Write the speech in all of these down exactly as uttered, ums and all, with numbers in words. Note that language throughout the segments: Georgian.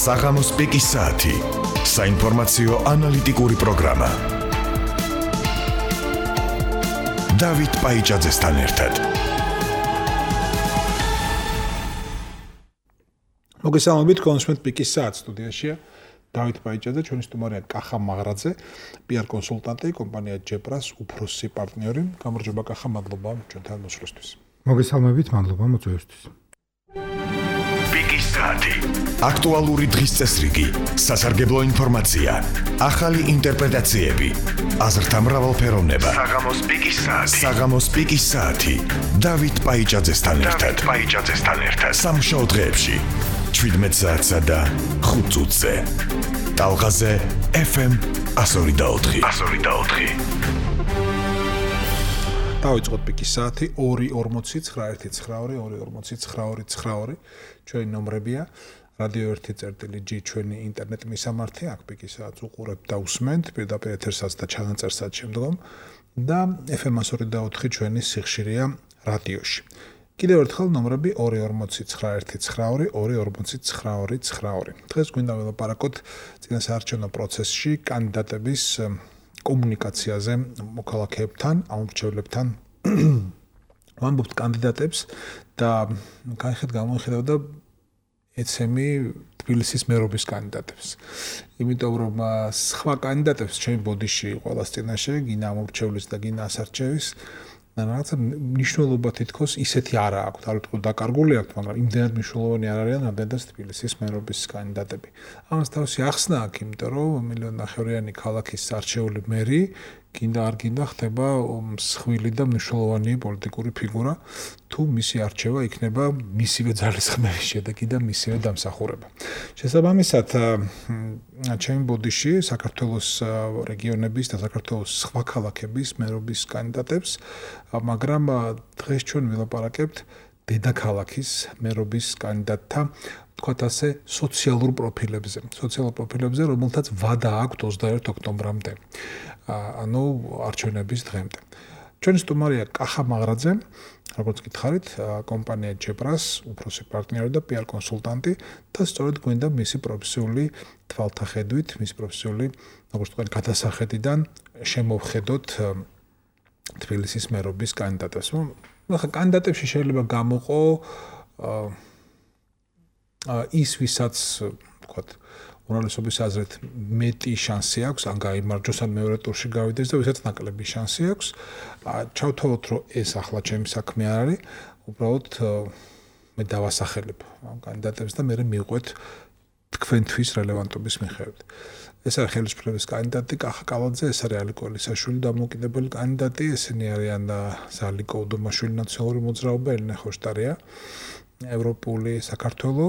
საღამოს პიკის საათი. საინფორმაციო ანალიტიკური პროგრამა. დავით პაიჭაძესთან ერთად. მოგესალმებით, კონსუმენტ პიკის საათი სტუდიაშია. დავით პაიჭაძე, ჩვენი სტუმარია კახა მაღრაძე, პი არ კონსულტანტი, კომპანია ჯეპრას უფროსი პარტნიორი. გამარჯობა კახა, მადლობა ჩვენთან მოსვლისთვის. მოგესალმებით, მადლობა მოწვევისთვის. პიკის საათი. აქტუალური დღის წესრიგი, სასარგებლო ინფორმაცია, ახალი ინტერპრეტაციები, აზრთა მრავალფეროვნება. საღამოს პიკის საათი. საღამოს პიკის საათი. დავით პაიჭაძესთან ერთად. დავით პაიჭაძესთან ერთად. სამშაბათ დღეებში შვიდმეტ საათსა და ხუთ წუთზე. ტალღაზე ეფ ემ εκατო ორი და ოთხი. εκατო ორი და ოთხი. დავიწყოთ პიკის საათი ორი ორმოცი ცხრა ერთი ცხრა ორი ორი ორმოცი ცხრა ორი ცხრა ორი. ჩვენი ნომრებია. რადიო ერთი წერტილი ჯი ჩვენი ინტერნეტ მისამართი, აქ პიკის საათს უყურებთ და უსმენთ პირდაპირ ეთერსაც და ჩანაწერსაც შემდგომ და ეფ ემ εκατო ორი და ოთხი ჩვენი სიხშირეა რადიოში. კიდევ ერთხელ ნომრები ორი ორმოცი ცხრა ერთი ცხრა ორი ორი ორმოცი ცხრა ორი ცხრა ორი. დღეს გვინდა ველაპარაკოთ წინასაარჩევნო პროცესში კანდიდატების კომუნიკაციაზე მოქალაქეებთან, ამომრჩევლებთან. ვამბობთ კანდიდატებს და განხეთ გამოიხედავ და ეცემი თბილისის მერობის კანდიდატებს. იმიტომ რომ სხვა კანდიდატებს ჩემ ბოდიში ყოველას წინაშე გინა ამომრჩევლის და გინა ასარჩევის რაღაცა მნიშვნელობა თითქოს ისეთი არა აქვთ, არ ვიტყვი დაკარგული აქვთ, მაგრამ იმდენად მნიშვნელოვანი არ არიან, რამდენადაც თბილისის მერობის კანდიდატები. ამას თავისი ახსნა აქვს, იმიტომ რომ მილიონ ნახევრიანი ქალაქის არჩეული მერი გინდა არ გინდა ხდება მსხვილი და მნიშვნელოვანი პოლიტიკური ფიგურა, თუ მისი არჩევა იქნება მისივე ძალისხმევის შედეგი და მისივე დამსახურება. შესაბამისად, ჩემი ბოდიში საქართველოს რეგიონების და საქართველოს სხვა ქალაქების მერობის კანდიდატებს, მაგრამ დღეს ჩვენ ვილაპარაკებთ დედაქალაქის მერობის კანდიდატთა, თქვათ ასე, სოციალურ პროფილებზე, სოციალურ პროფილებზე, რომელთაც ვადა აქვთ ოცდაერთ ოქტომბრამდე. ანუ არჩევნების დღემდე. ჩვენი სტუმარია კახა მაღრაძე, როგორც გითხარით, კომპანია ჯეპრას უფროსი პარტნიორი და პი არ კონსულტანტი და სწორედ გვინდა მისი პროფესიული თვალთახედვით, მისი პროფესიული, როგორც თქვენ, გადასახედიდან შემოვხედოთ თბილისის მერობის კანდიდატებს. ახლა კანდიდატებში შეიძლება გამოყო ის, ვისაც, ვთქვათ, უმრავლესობის აზრით მეტი შანსი აქვს, ან გაიმარჯვოს, ან მეორე ტურში გავიდეს და ვისაც ნაკლები შანსი აქვს. ჩავთვალოთ, რომ ეს ახლა ჩემი საქმე არ არის, უბრალოდ მე დავასახელებ ამ კანდიდატებს და მე მივყვეთ თქვენთვის რელევანტობის მიხედვით. ეს არის ხელისუფლების კანდიდატი კახა კალაძე, ეს არის ალიკო ელისაშვილი დამოუკიდებელი კანდიდატი, ესენი არიან ზალიკო უდომაშვილი ნაციონალური მოძრაობა, ელენე ხოშტარია, ევროპული საქართველო,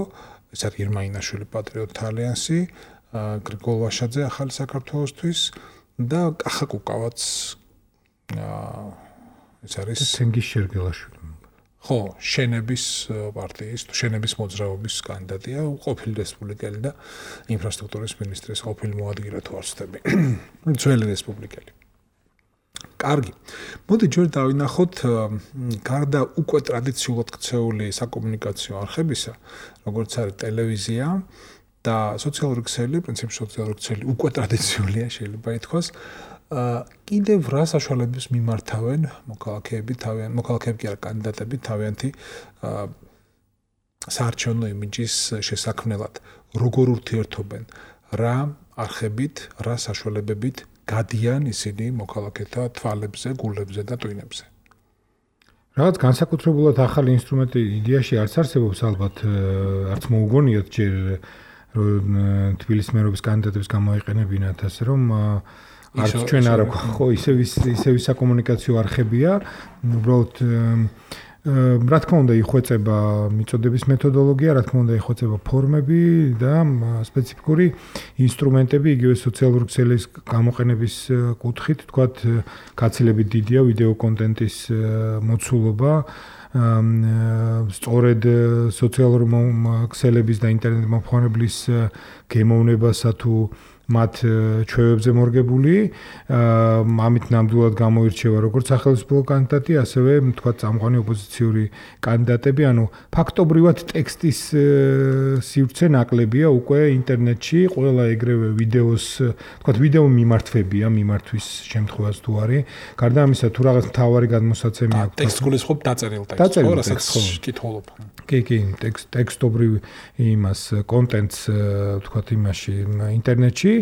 ეს არის ირმა ინაშვილი პატრიოტთა ალიანსი, გრიგოლ ვაშაძე ახალი საქართველოსთვის და კახა კუკავაც ეს არის თენგიზ შერგელაშვილი. ხო, შენების პარტიის, შენების მოძრაობის კანდიდატია, ყოფილი რესპუბლიკელი და ინფრასტრუქტურის მინისტრის ყოფილი მოადგილე თუ არ ვცდები. ძველი რესპუბლიკელი. კარგი. მოდი ჯერ დავინახოთ გარდა უკვე ტრადიციულად ქცეული საკომუნიკაციო არხებისა, როგორც არის ტელევიზია და სოციალური ქსელი, პრინციპში სოციალური ქსელი უკვე ტრადიციულია, შეიძლება ითქვას. კიდევ რა საშუალებას მიმართავენ მოქალაქეები თავიანთ, მოქალაქეები კი არა, კანდიდატები თავიანთი საარჩევნო იმიჯის შესაქმნელად. როგორ ურთიერთობენ, რა არხებით, რა საშუალებებით გადიან ისინი მოქალაქეთა თვალებზე, გულებზე და ტვინებზე. რაღაც განსაკუთრებულად ახალი ინსტრუმენტი იდეაში არც არსებობს, ალბათ არც მოუგონიათ ჯერ რომ თბილისის მერობის კანდიდატებს გამოიყენებინათ, ასე რომ არც ჩვენ არ აქვს ხო ისევ ისევ საკომუნიკაციო არხებია, უბრალოდ რა თქმა უნდა იხვეწება მიწოდების მეთოდოლოგია, რა თქმა უნდა იხვეწება ფორმები და სპეციფიკური ინსტრუმენტები, იგივე სოციალური ქსელის გამოყენების კუთხით, თქვათ, გაცილებით დიდია ვიდეო კონტენტის მოცულობა, სწორედ სოციალური ქსელების და ინტერნეტ მომხმარებლის გემოვნებასა თუ მათ ჩვევებზე მორგებული, ამით ნამდვილად გამოირჩევა როგორც სახელმწიფო კანდიდატი, ასევე თქვა წამყვანი ოპოზიციური კანდიდატები, ანუ ფაქტობრივად ტექსტის სივრცე ნაკლებია უკვე ინტერნეტში, ყველა ეგრევე ვიდეოს, თქვა ვიდეო მიმართვებია, მიმართვის შემთხვევას თუ არის. გარდა ამისა, თუ რაღაც მთავარი გადმოსაცემი აქვს. ტექსტს გულისხმობ დაწერილ ტექსტს. დაწერილ რასაც ტექსტს კითხულობ. კი, კი, ტექსტ ტექსტობრივ იმას კონტენტს თქვა იმაში ინტერნეტში,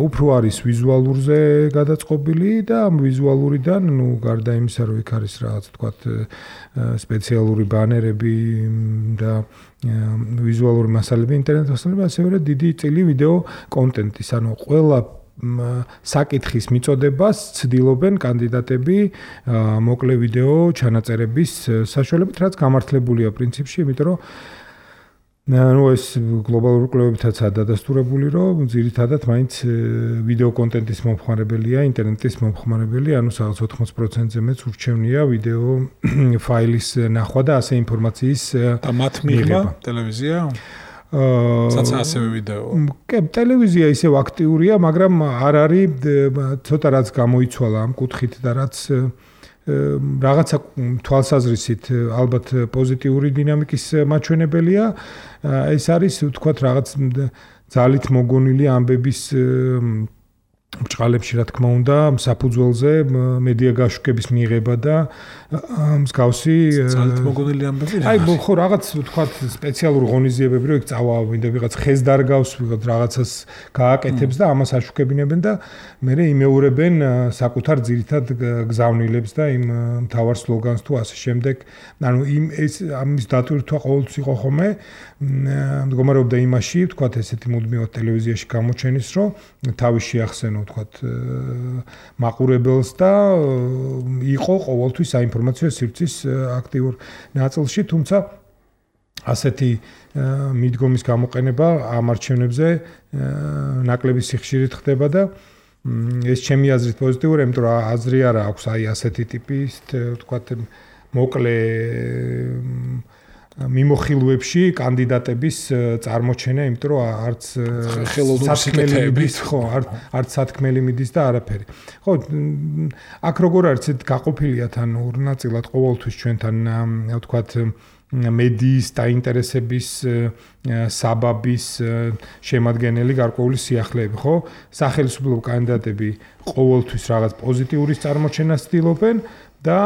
უფრო არის ვიზუალურზე გადაწყობილი და ამ ვიზუალურიდან, ну, გარდა იმისა, რომ იქ არის რაღაც თქვა სპეციალური ბანერები და ვიზუალური მასალები ინტერნეტ მასალები, ასევე დიდი წილი ვიდეო კონტენტის, ანუ ყველა საკითხის მიწოდებას ცდილობენ კანდიდატები მოკლე ვიდეო ჩანაწერების საშუალებით, რაც გამართლებულია პრინციპში, იმიტომ რომ ну ეს გლობალურ კვლევებითაცაა დადასტურებული, რომ ძირითადად მაინც ვიდეო კონტენტის მომხმარებელია, ინტერნეტის მომხმარებელი, ანუ სადღაც ოთხმოცი პროცენტზე მეც ურჩევნია ვიდეო ფაილის ნახვა და ასე ინფორმაციის და მათ მიღება ტელევიზია საცა ასევე ვიდეო. კი, ტელევიზია ისევ აქტიურია, მაგრამ არ არის ცოტა რაც გამოიცვალა ამ კუთხით და რაც რაღაცა თვალსაზრისით ალბათ პოზიტიური დინამიკის მაჩვენებელია. ეს არის ვთქვათ რაღაც ძალით მოგონილი ამბების ბჭყალებში, რა თქმა უნდა, საფუძველზე მედია გაშუქების მიღება და მსგავსი ძალით მოგონილი ამბები. აი, ხო, რაღაც ვთქვათ სპეციალური ღონისძიებები, რომ იქ წავა, ვინდა ვიღაც ხეს დარგავს, ვიღაც რაღაცას გააკეთებს და ამას აშუქებინებენ და მერე იმეორებენ საკუთარ ძირითად გზავნილებს და იმ მთავარ სლოგანს თუ ასე შემდეგ. ანუ იმ ეს ამის დატვირთვა ყოველთვის იყო ხოლმე მდგომარეობდა იმაში, ვთქვათ ესეთი მუდმივად ტელევიზიაში გამოჩენის, რომ თავის შეახსენო ვთქვათ მაყურებელს და იყო ყოველთვის საინფორმაციო სივრცის აქტიურ ნაწილში, თუმცა ასეთი მიდგომის გამოყენება ამ არჩევნებზე ნაკლები სიხშირით ხდება და ეს ჩემი აზრით პოზიტიური, იმიტომ რომ აზრი არა აქვს აი ასეთი ტიპის ვთქვათ მოკლე მიმოხილვებში კანდიდატების წარმოჩენა, იმიტომ რომ არც ხელოვნების ხო, არც სათქმელი მიდის და არაფერი. ხო, აქ როგორ არის გაყოფილია თან ორ ნაწილად ყოველთვის ჩვენთან ვთქვათ მედიის დაინტერესების საბაბის შემადგენელი გარკვეული სიახლეები, ხო? სახელმწიფო კანდიდატები ყოველთვის რაღაც პოზიტიურის წარმოჩენას ცდილობენ და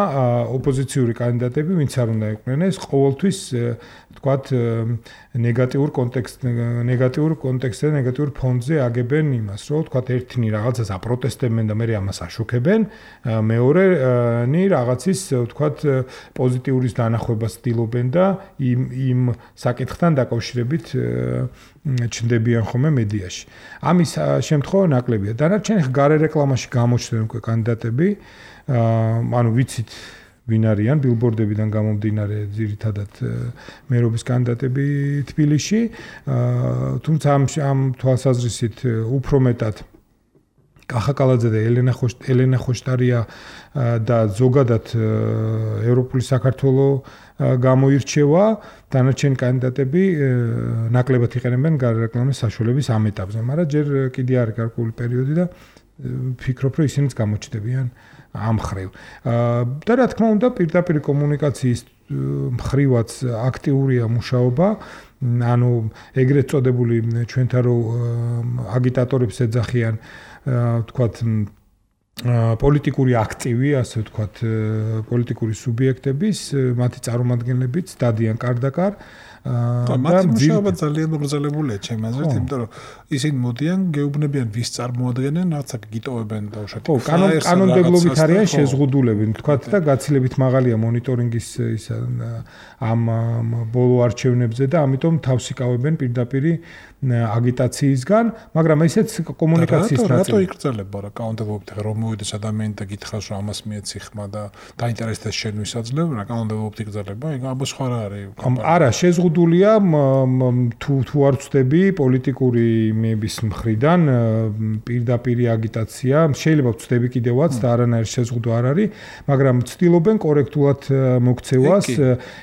ოპოზიციური კანდიდატები, ვინც არ უნდა იყვნენ, ეს ყოველთვის ვთქვათ ნეგატიურ კონტექსტ ნეგატიურ კონტექსტზე, ნეგატიურ ფონზე აგებენ იმას, რომ ვთქვათ ერთნი რაღაცას აპროტესტებენ და მერე ამას აშუქებენ, მეორენი რაღაცის ვთქვათ პოზიტიურის დანახვებას ცდილობენ და იმ იმ საკითხთან დაკავშირებით ჩნდებიან ხოლმე მედიაში. ამის შემთხვევა ნაკლებია. დანარჩენი გარე რეკლამაში გამოჩნდნენ უკვე კანდიდატები, ანუ ვიცით ვინ არიან ბილბორდებიდან გამომდინარე ძირითადად მერობის კანდიდატები თბილისში, თუმცა ამ ამ თვალსაზრისით უფრო მეტად კახა კალაძე და ელენა ელენა ხოშტარია და ზოგადად ევროპული საქართველოს გამოირჩევა, დანარჩენი კანდიდატები ნაკლებად იყენებენ გარეკლამის საშუალების ამ ეტაპზე, მაგრამ ჯერ კიდე არის გარკვეული პერიოდი და ვფიქრობ, რომ ისინიც გამოჩნდებიან ამ ხრივ. და რა თქმა უნდა, პირდაპირ კომუნიკაციის მხრივაც აქტიურია მუშაობა, ანუ ეგრეთ წოდებული ჩვენთან რო აგიტატორებს ეძახიან, ვთქვათ, პოლიტიკური აქტივი, ასე ვთქვათ, პოლიტიკური სუბიექტების, მათი წარმომადგენლებიც დადიან კარდაკარ. და მათი მუშაობა ძალიან მოგზაურებულია ჩემი აზრით, იმიტომ რომ ისინი მოდიან, გეუბნებიან ვის წარმოადგენენ, რაღაცა გიტოვებენ და უშუალოდ. ხო, კანონმდებლობით არიან შეზღუდულები, ვთქვათ და გაცილებით მაღალია მონიტორინგის ის ამ ბოლო არჩევნებზე და ამიტომ თავს იკავებენ პირდაპირ აგიტაციისგან, მაგრამ ესეც კომუნიკაციის ნაწილი. რატო იკრძალება რა კანონმდებლობით, რომ მოვიდეს ადამიანი და გითხრას რომ ამას მიეცი ხმა და დაინტერესდეს შენ ვისაძლევ, რა კანონმდებლობით იკრძალება, ეგ ამბო სხვა რა არის. არა, შეზღუდ შეზღუდულია თუ თუ არ ვწდები პოლიტიკური მეების მხრიდან პირდაპირი აგიტაცია, შეიძლება ვწდები კიდევაც და არანაირი შეზღუდვა არ არის, მაგრამ ცდილობენ კორექტულად მოქცევას,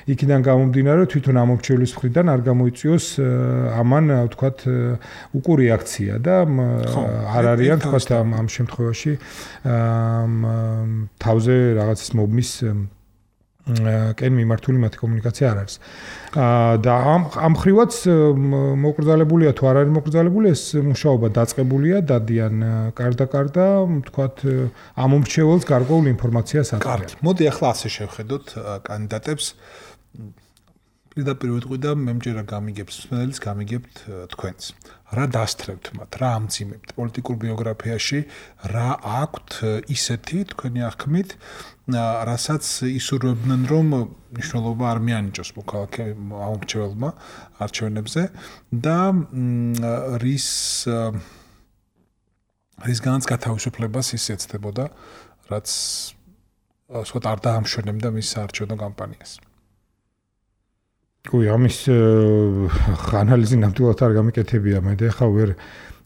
იქიდან გამომდინარე თვითონ ამორჩევლის მხრიდან არ გამოიწვიოს ამან ვთქვათ უკუ რეაქცია და არ არიან ვთქვათ ამ შემთხვევაში თავზე რაღაცის მობმის კენ მიმართული მათი კომუნიკაცია არ არის. და ამ ამ ხრივაც მოკრძალებულია თუ არ არის მოკრძალებული ეს მუშაობა დაწყებულია, დადიან კარდა-კარდა, ვთქვათ ამომრჩეველს გარკვეულ ინფორმაციას აწვდიან. კარგი. მოდი ახლა ასე შევხედოთ კანდიდატებს. პირდაპირ ვიტყვი და მე მჯერა გამიგებთ მსმენელს, გამიგებთ თქვენს. რა დასთრებთ მათ, რა ამძიმებთ პოლიტიკურ ბიოგრაფიაში, რა აქვთ ისეთი თქვენი აღქმით, რასაც ისურვებდნენ რომ მნიშვნელობა არ მიანიჭოს მოქალაქე ამორჩეველმა არჩევნებზე და რის რისგანაც გათავისუფლებას ის ეცდებოდა, რაც ასე ვთქვათ არ დაამშვენებდა მის საარჩევნო კამპანიას. კუი, ამის ანალიზი ნამდვილად არ გამიკეთებია მე და ახლა ვერ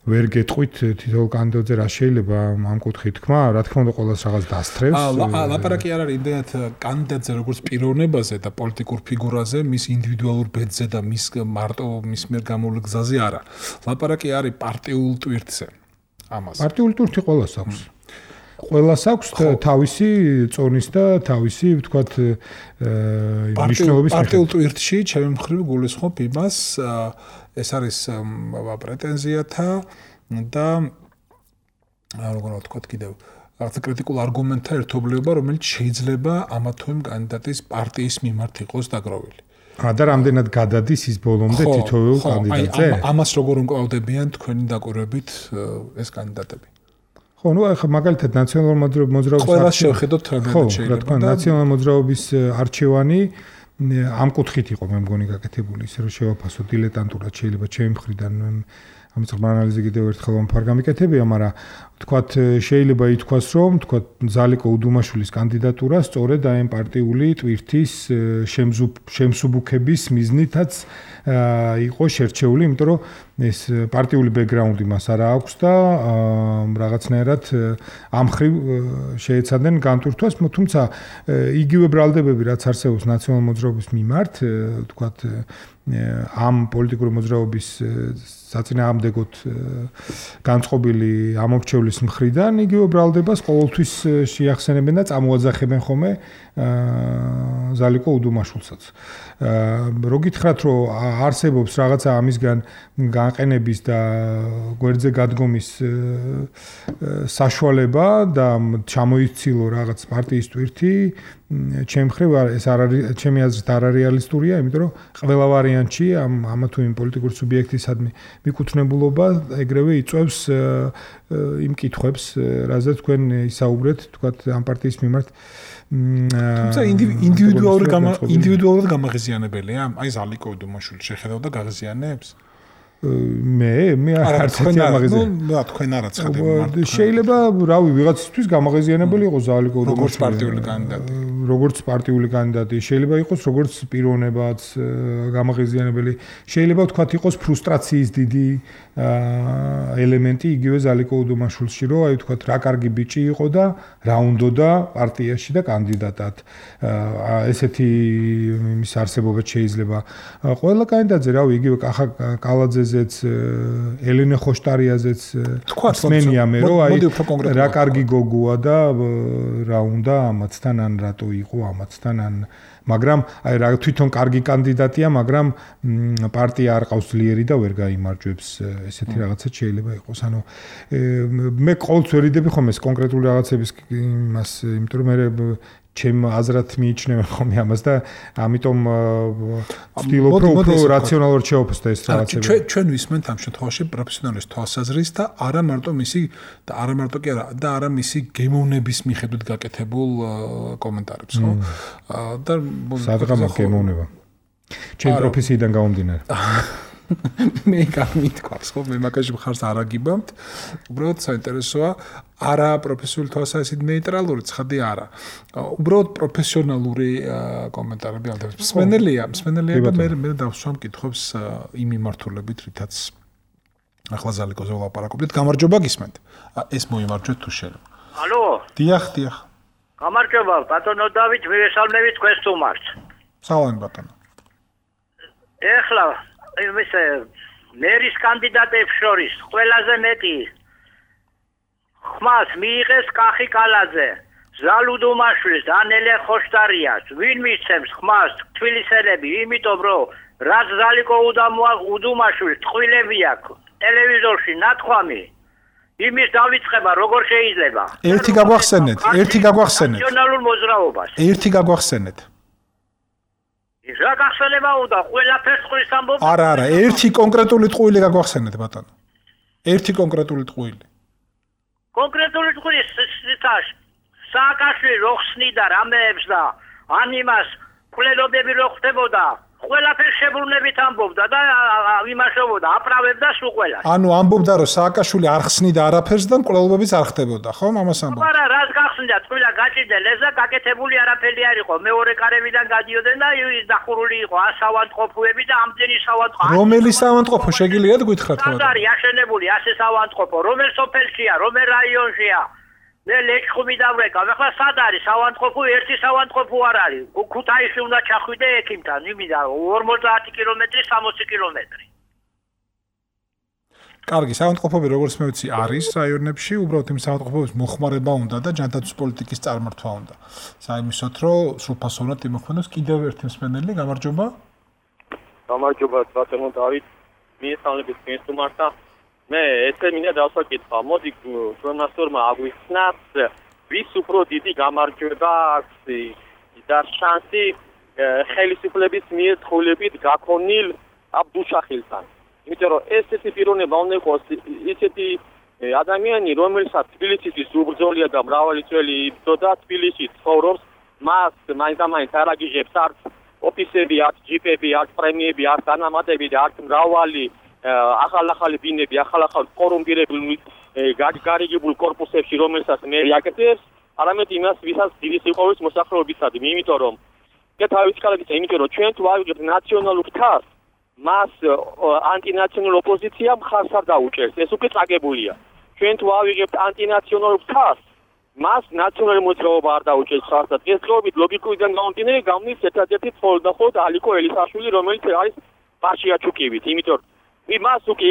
ვერ გეტყვით თითოეულ კანდიდატზე რა შეიძლება ამ კუთხით თქვა, რა თქმა უნდა ყოველს რაღაც დასთრევს. აა ლაპარაკი არ არის იმდენად კანდიდატზე როგორც პიროვნებაზე და პოლიტიკურ ფიგურაზე, მის ინდივიდუალურ ბედზე და მის მარტო მის მიერ გამოვლ გზაზე არა. ლაპარაკი არის პარტიულ ტვირთზე. ამას. პარტიული ტვირთი ყოველს აქვს. ყველას აქვს თავისი წონის და თავისი ვთქვათ მნიშვნელობის პარტიულ ტვირთში ჩემი მხრივ გულისხმობ იმას ეს არის პრეტენზიათა და როგორ ვთქვათ კიდევ რაღაც კრიტიკულ არგუმენტთა ერთობლიობა, რომელიც შეიძლება ამა თუ იმ კანდიდატის პარტიის მიმართ იყოს დაგროვილი. და რამდენად გადადის ის ბოლომდე თითოეულ კანდიდატზე? ამას როგორ უმკლავდებიან თქვენი დაკვირვებით ეს კანდიდატები? ხო, ну, ახლა მაგალითად ნაციონალური მოძრაობის ყველას შევხედოთ რამდენად შეიძლება. რა თქმა უნდა, ნაციონალური მოძრაობის არჩევანი ამ კუთხით იყო მე მგონი გაკეთებული, ისე რომ შევაფასო დილეტანტურად შეიძლება ჩემი მხრიდან ამის ღრმა ანალიზი კიდევ ერთხელ ვამფარ გამიკეთებია, მაგრამ ვთქვათ შეიძლება ითქვას, რომ ვთქვათ ზალიკო უდუმაშვილის კანდიდატურა სწორედ ამ პარტიული ტვირთის შემსუბუქების მიზნითაც იყო შერჩეული, იმიტომ რომ ეს პარტიული ბექგრაუნდი მას არა აქვს და რაღაცნაირად ამ ხრივ შეეცადნენ განტვირთვას, თუმცა იგივე ბრალდებები რაც არსებობს ნაციონალური მოძრაობის მიმართ, ვთქვათ ამ პოლიტიკური მოძრაობის საწინააღმდეგოდ განწყობილი ამორჩევლის მხრიდან იგივე ბრალდებას ყოველთვის შეახსენებენ და წამოაძახებენ ხოლმე ზალიკო უდუმაშვილსაც. რო გითხრათ, რომ არსებობს რაღაცა ამისგან განყენების და გვერდზე გადგომის საშუალება და ჩამოიცილო რაღაც პარტიის ტვირთი, ჩემი მხრივ ეს არ არის, ჩემი აზრით არ არის რეალისტურია, იმიტომ რომ ყველა ვარიანტში ამ ამა თუ იმ პოლიტიკური სუბიექტისადმი მიკუთვნებულობა ეგრევე იწვევს იმ კითხვებს, რაზეც თქვენ ისაუბრეთ, თქვათ ამ პარტიის მიმართ. თუმცა ინდივიდუალური ინდივიდუალურად გამაღიზიანებელია, აი ზალიკო უდუმაშვილი შეხედავდა გაღიზიანებს? მე მე არც ერთი ამაღიზია. ნუ თქვენ არა ცხადებ. შეიძლება, რავი, ვიღაცისთვის გამაღიზიანებელი იყოს ზალიკო უდუმაშვილი. როგორც პარტიული კანდიდატი. როგორც პარტიული კანდიდატი, შეიძლება იყოს როგორც პიროვნებაც გამაღიზიანებელი. შეიძლება ვთქვათ იყოს ფრუსტრაციის დიდი ელემენტი იგივე ზალიკო უდუმაშვილში, რომ აი ვთქვათ რა კარგი ბიჭი იყო და რა უნდოდა პარტიაში და კანდიდატად. ესეთი იმის არსებობაც შეიძლება. ყველა კანდიდატზე, რავი, იგივე კახა კალაძეზეც, ელენე ხოშტარიაზეც მსმენია მე, რომ აი რა კარგი გოგოა და რა უნდა ამათთან ან რატო იყო ამათთან ან მაგრამ აი რა თვითონ კარგი კანდიდატია, მაგრამ პარტია არ ყავს ძლიერი და ვერ გაიმარჯვებს, ესეთი რაღაცა შეიძლება იყოს. ანუ მე ყოველთვის ვერიდები ხომ ეს კონკრეტული რაღაცების იმას, იმიტომ რომ მე ჩემ აზრად მიიჩნევენ ხომ ამას და ამიტომ ვცდილობ უფრო რაციონალურად შევაფასო ეს რაღაცები. ჩვენ ჩვენ ვისმენთ ამ შემთხვევაში პროფესიონალის თვალსაზრისით და არა მარტო მისი და არა მარტო კი არა და არა მისი გემოვნების მიხედვით გაკეთებულ კომენტარებს, ხო? და სადღაც გემოვნება. ჩემ პროფესიიდან გამომდინარე. მე გამითქვას ხო მე მაგაში მხარს არ აგიბამთ უბრალოდ საინტერესოა არა პროფესიული თვალსაზრისით ნეიტრალური ცხადი არა უბრალოდ პროფესიონალური კომენტარები ალბათ მსმენელია მსმენელია და მე მე დავსვამ კითხვებს იმ მიმართულებით რითაც ახლა ზალიკოზე ვლაპარაკობდით გამარჯობა გისმენთ ეს მოიმარჯვეთ თუ შეიძლება ალო დიახ დიახ გამარჯობა ბატონო დავით მივესალმებით თქვენს სტუმარს სალამი ბატონო ეხლა იმის მერის კანდიდატებს შორის ყველაზე მეტი ხმას მიიღეს კახი კალაძე ზალუდუმაშვილს დანელე ხოშტარიას ვინ მისცემს ხმას თბილისელები იმიტომ რომ რაც ზალიკო უდუმაშვილს ტყვილები აქვს ტელევიზორში ნათქვამი იმის დავიწყება როგორ შეიძლება ერთი გაგვახსენეთ ერთი გაგვახსენეთ ნაციონალურ მოძრაობას ერთი გაგვახსენეთ რა გახსენება უნდა ყველაფერს ყრის ამბობ არა არა ერთი კონკრეტული ტყუილი გაგვახსენეთ ბატონო ერთი კონკრეტული ტყუილი კონკრეტული ტყუილი სიტაშ სააკაშვილი რო ხსნიდა რამეებს და ანიმას კვლელობები რო ხდებოდა ყველაფერს შებრუნებით ამბობდა და იმაშობოდა აპრავებდა სულ ყველას ანუ ამბობდა რომ სააკაშვილი არ ხსნიდა არაფერს და კვლელობებიც არ ხდებოდა ხო ამას ამბობდა არა რას გახსნიდა თქვილა გაჭირდა ლეზა გაკეთებული არაფერი არ იყო მეორე კარებიდან გადიოდნენ და ის დახურული იყო ასავანტყოფოები და ამდენი სავანტყოფო რომელი სავანტყოფო შეგიძლიათ გითხრათ რა არის აშენებული ასე სავანტყოფო რომელ სოფელშია რომელ რაიონშია მე ლეჩხუმი დავრეკავ ახლა სად არის სავანტყოფო ერთი სავანტყოფო არ არის ქუთაისში უნდა ჩახვიდე ექიმთან იმიდა ორმოცდაათი კილომეტრი სამოცი კილომეტრი კარგი სავანტყოფოები როგორც მე ვიცი არის რაიონებში უბრალოდ იმ სავანტყოფოების მოხმარება უნდა და ჯანდაცვის პოლიტიკის წარმართვა უნდა საიმისოთ რომ სრულფასოვნად იმოქმედოს კიდევ ერთი მსმენელი გამარჯობა გამარჯობა ბატონო დავით მიესალმებით თქვენს სტუმართა მე ესე მინდა დავსაკითხო მოდი ჟურნალისტურმა აგვიხსნათ ვის უფრო დიდი გამარჯვება აქვს და შანსი ხელისუფლების მიერ თხოვნებით გაქონილ აბდუშახილთან იმიტომ რომ ესეთი პიროვნება უნდა იყოს ისეთი ადამიანი რომელსაც თბილისის უბრძოლია და მრავალი წელი იბრძოდა თბილისში ცხოვრობს მას მაინც-მაინც არ აგიჟებს არც ოფისები არც ჯიპები არც პრემიები არც დანამატები და არც მრავალი ახალ-ახალი ბინები, ახალ-ახალ კორუმპირებული გარიგებულ კორპუსებში, რომელსაც მე აკეთებს, არამედ იმას, ვისაც დიდი სიყვარულის მოსახლეობისადმი, იმიტომ რომ და თავის ხალხის, იმიტომ რომ ჩვენ თუ ავიღებთ ნაციონალურ თავს, მას ანტინაციონალურ ოპოზიცია მხარს არ დაუჭერს, ეს უკვე წაგებულია. ჩვენ თუ ავიღებთ ანტინაციონალურ თავს, მას ნაციონალური მოძრაობა არ დაუჭერს მხარს და დღესდღეობით ლოგიკურიდან გამომდინარე გამნის ერთადერთი მხოლოდ და მხოლოდ ალიკო ელისაშვილი, რომელიც არის ბაშიაჩუკივით, იმიტომ რომ იმას უკვე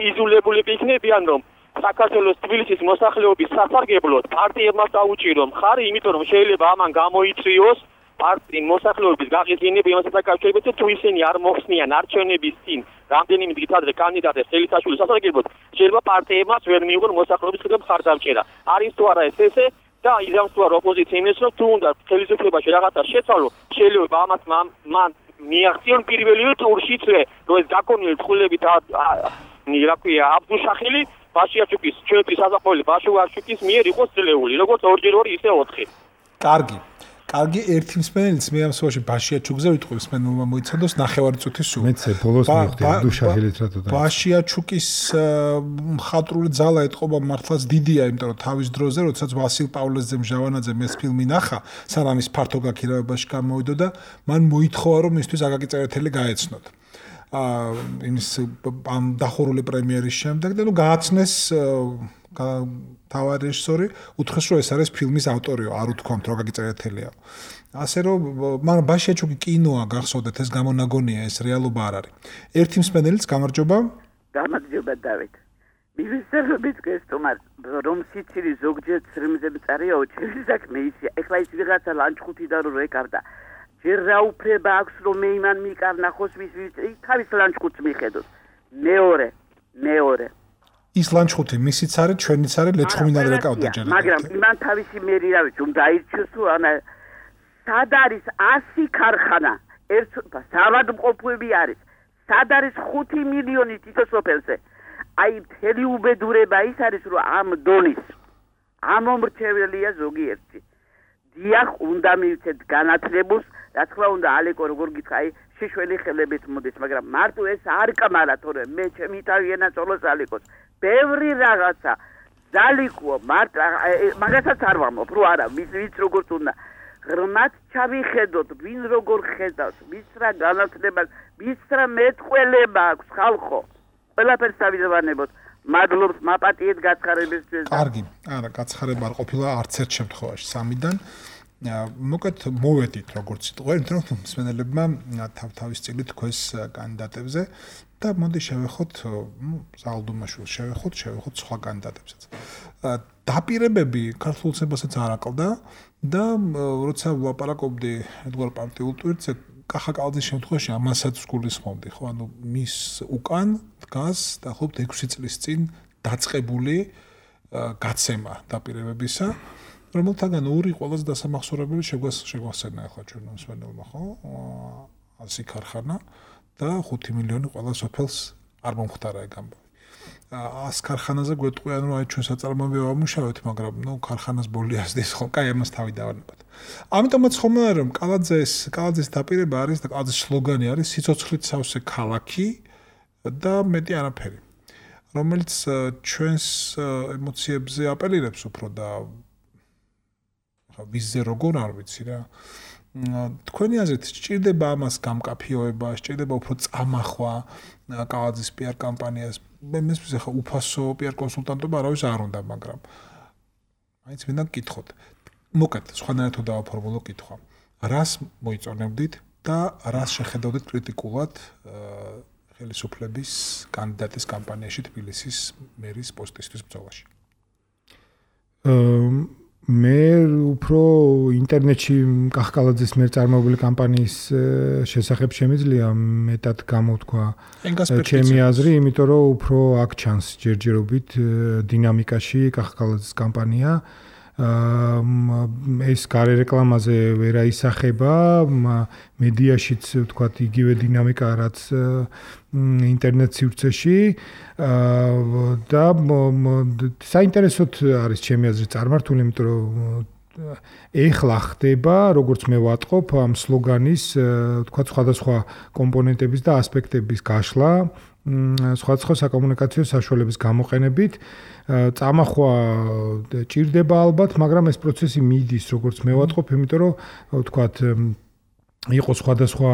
იზოლებული იქნებიან რომ საქართველოს თბილისის მოსახლეობის სასარგებლოდ პარტიებმა დაუჭირო მხარი, იმიტომ რომ შეიძლება ამან გამოიწვიოს პარტიის მოსახლეობის გაღიზიანება იმასთან დაკავშირებით, თუ ისინი არ მოხსნიან არჩევნების წინ რამდენიმე დღით ადრე კანდიდატებს ხელისაშვილის სასარგებლოდ, შეიძლება პარტიებმაც ვერ მიიღონ მოსახლეობის მხრიდან მხარდამჭერა. არის თუ არა ეს ესე და იზამს თუ არა ოპოზიცია იმის რომ თუ უნდა ხელისუფლებაში რაღაცა შეცვალო, შეიძლება ამას მან მიაღწიონ პირველი ტურშიც რომ ეს გაკონილი თხულებით რა ქვია აბდუშახილი ბაშიაჩუკის ჩვენი საზაფხული ბაშიაჩუკის მიერ იყოს ძლეული როგორც ორჯერ ორი ისე ოთხი კარგი კარგი ერთი მსმენელიც მე ამ სვაში ბაშიაჩუკზე ვიტყვი მსმენელმა მოიცადოს ნახევარი წუთი სულ მეცე ბოლოს მივხვდი აბდუშახილით რატო და ბაშიაჩუკის მხატვრული ძალა ეთყობა მართლაც დიდია იმიტომ რომ თავის დროზე როდესაც ვასილ პავლესძე მჟავანაძემ ეს ფილმი ნახა სანამ ის ფართო გაქირავებაში გამოვიდა და მან მოითხოვა რომ მისთვის აკაკი წერეთელი გაეცნოთ აა იმის ამ დახურული პრემიერის შემდეგ და ნუ გააცნეს თავად რეჟისორი უთხრეს რომ ეს არის ფილმის ავტორიო არ უთქვამთ რომ გაგიწერეთელია ასე რომ მან ბაშიაჩუკი კინოა გახსოვდეთ ეს გამონაგონია ეს რეალობა არ არის ერთი მსმენელიც გამარჯობა გამარჯობა დავით მივესალმებით გესტუმარ რომ სიცილი ზოგჯერ ცრემზე მწარეო ჩემი საქმე ისი ეხლა ის ვიღაცა ლანჩხუთიდან რო ეკარდა ჯერ რა უფლება აქვს რომ მე იმან მიკარნახოს ვის თავის ლანჩხუთს მიხედოს მეორე მეორე ის ლანჩხუთი მისიც არის ჩვენიც არის ლეჩხუმიდან რეკავდა ჯერ მაგრამ იმან თავისი მერი რა ვიცი რომ დაირჩიოს თუ ანა სად არის ასი ქარხანა ერთ საავადმყოფოები არის სად არის ხუთი მილიონი თითოსოფელზე აი მთელი უბედურება ის არის რომ ამ დონის ამომრჩეველია ზოგიერთი დიახ უნდა მივცეთ განათლებულს რა თქმა უნდა ალეკო როგორ გითხრა აი შიშველი ხელებით მოდის, მაგრამ მარტო ეს არ კამარა, თორე მე ჩემი თავი ენაწოლოს ალიკოს. ბევრი რაღაცა ზალიკო მარტო მაგასაც არ ვამბობ, რო არა, ვის ვის როგორც უნდა. ღრმად ჩავიხედოთ, ვინ როგორ ხედავს, ვის რა განათლებას, ვის რა მეტყველება აქვს ხალხო. ყველაფერს დავიძვანებოთ. მადლობს მაპატიეთ გაცხარებისთვის. კარგი, არა, გაცხარება არ ყოფილა არც ერთ შემთხვევაში სამიდან. მოკეთ მოვედით როგორც სიტყვა, იმიტომ რომ მსმენელებმა თავ-თავის წილი თქვეს კანდიდატებზე და მოდი შევეხოთ, ნუ ზალდუმაშვილს შევეხოთ, შევეხოთ სხვა კანდიდატებსაც. დაპირებები ქართულ ცნებასაც არ აკლდა და როცა ვლაპარაკობდი ედგვარ პარტიულ ტვირთზე, კახა კალაძის შემთხვევაში ამასაც გულისხმობდი, ხო, ანუ მის უკან დგას დაახლოებით ექვსი წლის წინ დაწყებული გაცემა დაპირებებისა, რომელთაგან ორი ყველაზე დასამახსოვრებელი შეგვასწენა ახლა ჩვენ მსმენელმა, ხო? ასი ქარხანა და ხუთი მილიონი ყველა სოფელს არ მომხდარა ეგ ამბავი. ას ქარხანაზე გვეტყვი, ანუ აი ჩვენ საწარმოები ვამუშავეთ, მაგრამ ნუ ქარხანას ბოლი ასდის, ხო? კაი, ამას თავი დავანებოთ. ამიტომაც ხომ არა რომ კალაძეს, კალაძეს დაპირება არის და კალაძის სლოგანი არის სიცოცხლით სავსე ქალაქი და მეტი არაფერი. რომელიც ჩვენს ემოციებზე აპელირებს უფრო და ვიზზე როგორ არ ვიცი რა. თქვენი აზრით სჭირდება ამას გამკაფიოება, სჭირდება უფრო წამახვა კალაძის პიარ კამპანიას. მე მესმის ახლა უფასო პიარ კონსულტანტობა არავის არ უნდა, მაგრამ მაინც მინდა გკითხოთ. მოკეთ, სხვანაირად დავაფორმულო კითხვა. რას მოიწონებდით და რას შეხედავდით კრიტიკულად ხელისუფლების კანდიდატის კამპანიაში თბილისის მერის პოსტისთვის ბრძოლაში? მე უფრო ინტერნეტში კახკალაძის მიერ წარმოებული კამპანიის შესახებ შემიძლია მეტად გამოვთქვა ჩემი აზრი, იმიტომ რომ უფრო აქ ჩანს ჯერჯერობით დინამიკაში კახკალაძის კამპანია. ეს გარე რეკლამაზე ვერ აისახება, მედიაშიც ვთქვათ იგივე დინამიკა რაც ინტერნეტ სივრცეში და საინტერესოდ არის ჩემი აზრით წარმართული, იმიტომ რომ ეხლა ხდება, როგორც მე ვატყობ, ამ სლოგანის ვთქვათ სხვადასხვა კომპონენტების და ასპექტების გაშლა სხვადასხვა საკომუნიკაციო საშუალების გამოყენებით. წამახვა ჭირდება ალბათ, მაგრამ ეს პროცესი მიდის, როგორც მე ვატყობ, იმიტომ რომ ვთქვათ იყო სხვადასხვა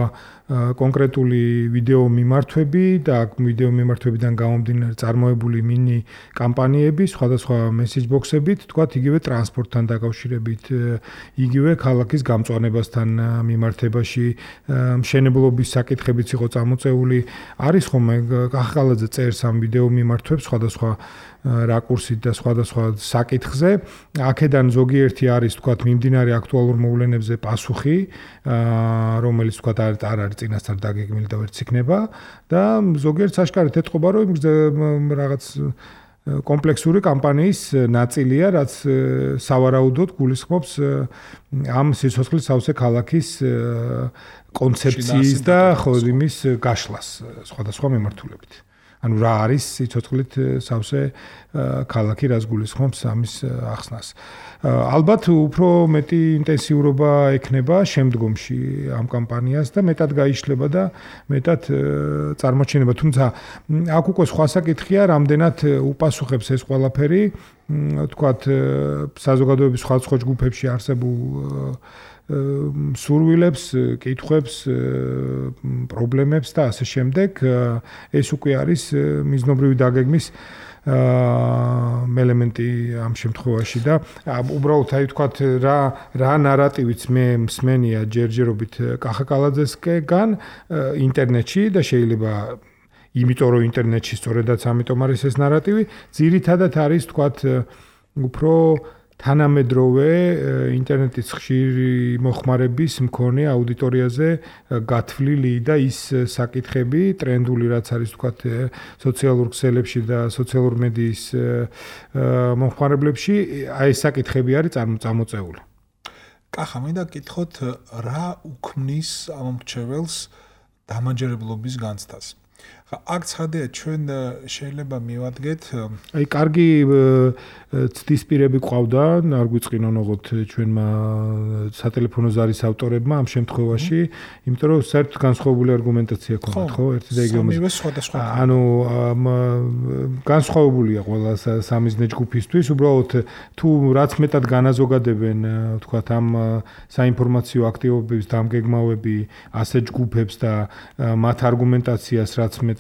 კონკრეტული ვიდეო მიმართვები და ვიდეო მიმართვებიდან გამომდინარე წარმოებული მინი კამპანიები, სხვადასხვა მესეჯ ბოქსებით, თქვათ იგივე ტრანსპორტთან დაკავშირებით, იგივე ქალაქის გამწვანებასთან მიმართებაში, მშენებლობის საკითხებიც იყო წამოწეული. არის ხოლმე კახკალაძე წერს ამ ვიდეო მიმართვებს სხვადასხვა რაკურსით და სხვადასხვა საკითხზე. აქედან ზოგიერთი არის თქვათ მიმდინარე აქტუალურ მოვლენებზე პასუხი, რომელიც თქვათ არ არის წინასწარ დაგეგმილი და ვერც იქნება და ზოგიერთ საშკარით ეთყობა, რომ რაღაც კომპლექსური კამპანიის ნაწილია, რაც სავარაუდოდ გულისხმობს ამ სიცოცხლის სავსე ქალაქის კონცეფციის და ხო იმის გაშლას სხვადასხვა მიმართულებით. ანუ რა არის სიცოცხლით სავსე ქალაქი, რაც გულისხმობს ამის ახსნას. ალბათ უფრო მეტი ინტენსიურობა ექნება შემდგომში ამ კამპანიას და მეტად გაიშლება და მეტად წარმოჩინება. თუმცა აქ უკვე სხვა საკითხია, რამდენად უპასუხებს ეს ყველაფერი, თქვათ საზოგადოების სხვადასხვა ჯგუფებში არსებულ სურვილებს, კითხვებს, პრობლემებს და ასე შემდეგ. ეს უკვე არის მიზნობრივი დაგეგმის ელემენტი ამ შემთხვევაში და უბრალოდ აი ვთქვათ რა რა ნარატივიც მე მსმენია ჯერჯერობით კახაკალაძესკენ ინტერნეტში და შეიძლება იმიტომ რომ ინტერნეტში სწორედაც ამიტომ არის ეს ნარატივი, ძირითადად არის ვთქვათ უფრო თანამედროვე ინტერნეტის ხშირი მოხმარების მქონე აუდიტორიაზე გათვლილი და ის საკითხები, ტრენდული რაც არის ვთქვათ სოციალურ ქსელებში და სოციალურ მედიის მომხმარებლებში, აი ეს საკითხები არის წარმოწეული. კახა, მინდა გკითხოთ, რა უქმნის ამ მრჩეველს დამაჯერებლობის განცდას. აქ ცხადია ჩვენ შეიძლება მივადგეთ აი კარგი ცდისპირები ყავდა არ გვიწყინონ ოღონდ ჩვენმა სატელეფონო ზარის ავტორებმა ამ შემთხვევაში იმიტომ რომ საერთოდ განსხვავებული არგუმენტაცია ქონდათ ხო ერთი და იგივე ანუ განსხვავებულია ყველა სამიზნე ჯგუფისთვის უბრალოდ თუ რაც მეტად განაზოგადებენ თქვათ ამ საინფორმაციო აქტივობების დამგეგმავები ასე ჯგუფებს და მათ არგუმენტაციას რაც მეტად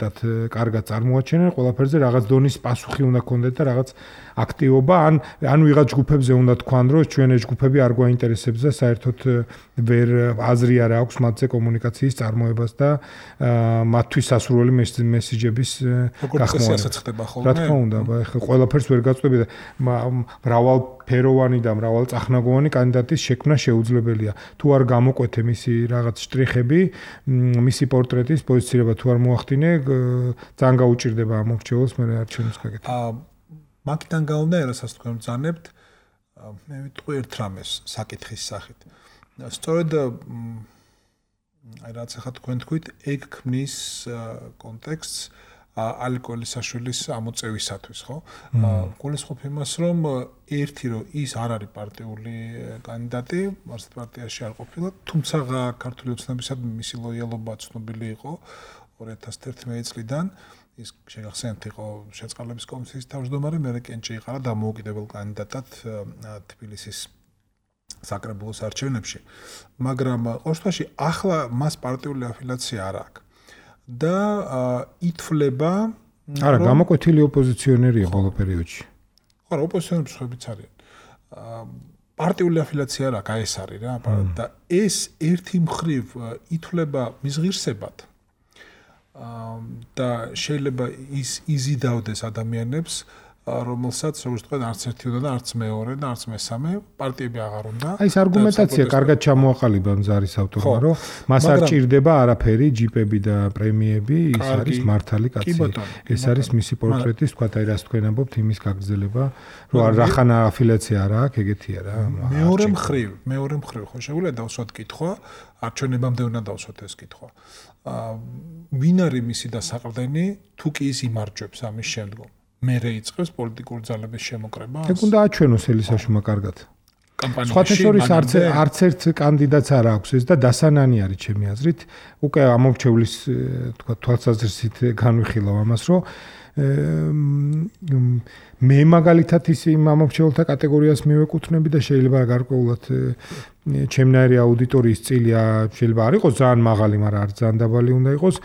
კარგად წარმოაჩენენ ყველაფერზე რაღაც დონის პასუხი უნდა ქონდეთ და რაღაც აქტივობა ან ან ვიღაც ჯგუფებზე უნდა თქვან რომ ჩვენი ჯგუფები არ გვაინტერესებს და საერთოდ ვერ აზრი არ აქვს მათზე კომუნიკაციის წარმოებას და მათთვის სასურველი მესიჯების გახმოვანება. რა თქმა უნდა, ახლა ყველაფერს ვერ გაწყვეტები და მრავალფეროვანი და მრავალწახნაგოვანი კანდიდატის შექმნა შეუძლებელია. თუ არ გამოკვეთე მისი რაღაც შტრიხები, მისი პორტრეტის პოზიცირება თუ არ მოახდინე, ძალიან გაუჭირდება ამ მორჩეულს მე არჩევნებს გაკეთება. მაგიდან გაუნდა რასაც თქვენ ბრძანებთ, მე ვიტყვი ერთ რამეს საკითხის სახით. სწორედ აი რაც ახლა თქვენ თქვით, ეგ ქმნის კონტექსტს ალიკო ელისაშვილის ამოწევისათვის, ხო? გულისხმობ იმას, რომ ერთი რომ ის არ არის პარტიული კანდიდატი, მარცხ პარტიაში არ ყოფილა, თუმცა ქართული ოცნებისადმი მისი ლოიალობა ცნობილი იყო ორი ათას ერთი წლიდან. ის შეგახსენებთ იყო შეწყალების კომისიის თავმჯდომარე, მე კენჭი იყარა დამოუკიდებელ კანდიდატად თბილისის საკრებულოს არჩევნებში. მაგრამ ყოველთვის ახლა მას პარტიული αφილაცია არ აქვს. და ითვლება არა, გამოკვეთილი ოპოზიციონერია ბოლო პერიოდში. ხო, ოპოზიციონერი მსხვერპლიც არიან. პარტიული αφილაცია არ აქვს, აი ეს არის რა, და ეს ერთი მხრივ ითვლება მის ღირსებად. და შეიძლება ის იზიდავდეს ადამიანებს, რომელსაც როგორც თქვა, არც ერთი უნდა და არც მეორე და არც მესამე პარტიები აღარ უნდა. აი ეს არგუმენტაცია კარგად ჩამოაყალიბა მზარის ავტორმა, რომ მას არ ჭირდება არაფერი, ჯიპები და პრემიები, ის არის მართალი კაცი. ეს არის მისი პორტრეტის, თქვა, აი რას თქვენ ამბობთ, იმის გაგრძელება, რომ რახანა αφილაცია არა აქვს, ეგეთია რა. მეორე მხრივ, მეორე მხრივ ხო შეგვიძლია დავსვათ კითხვა, არჩევნებამდე უნდა დავსვათ ეს კითხვა. ვინ არის მისი დასაყრდენი, თუ კი ის იმარჯვებს ამის შემდგომ? მე რეიწყებს პოლიტიკური ძალების შემოკრება. ეგ უნდა აჩვენოს ელისაშვილმა კარგად. სხვათა შორის არც არც ერთ კანდიდატს არ აქვს ეს და დასანანი არის ჩემი აზრით. უკვე ამორჩევლის თქვა თვალსაზრისით განვიხილავ ამას, რომ მე მაგალითად ის იმ ამორჩეულთა კატეგორიას მივეკუთვნები და შეიძლება გარკვეულად ჩემნაირი აუდიტორიის წილი შეიძლება არ იყოს ძალიან მაღალი, მაგრამ არ ძალიან დაბალი უნდა იყოს.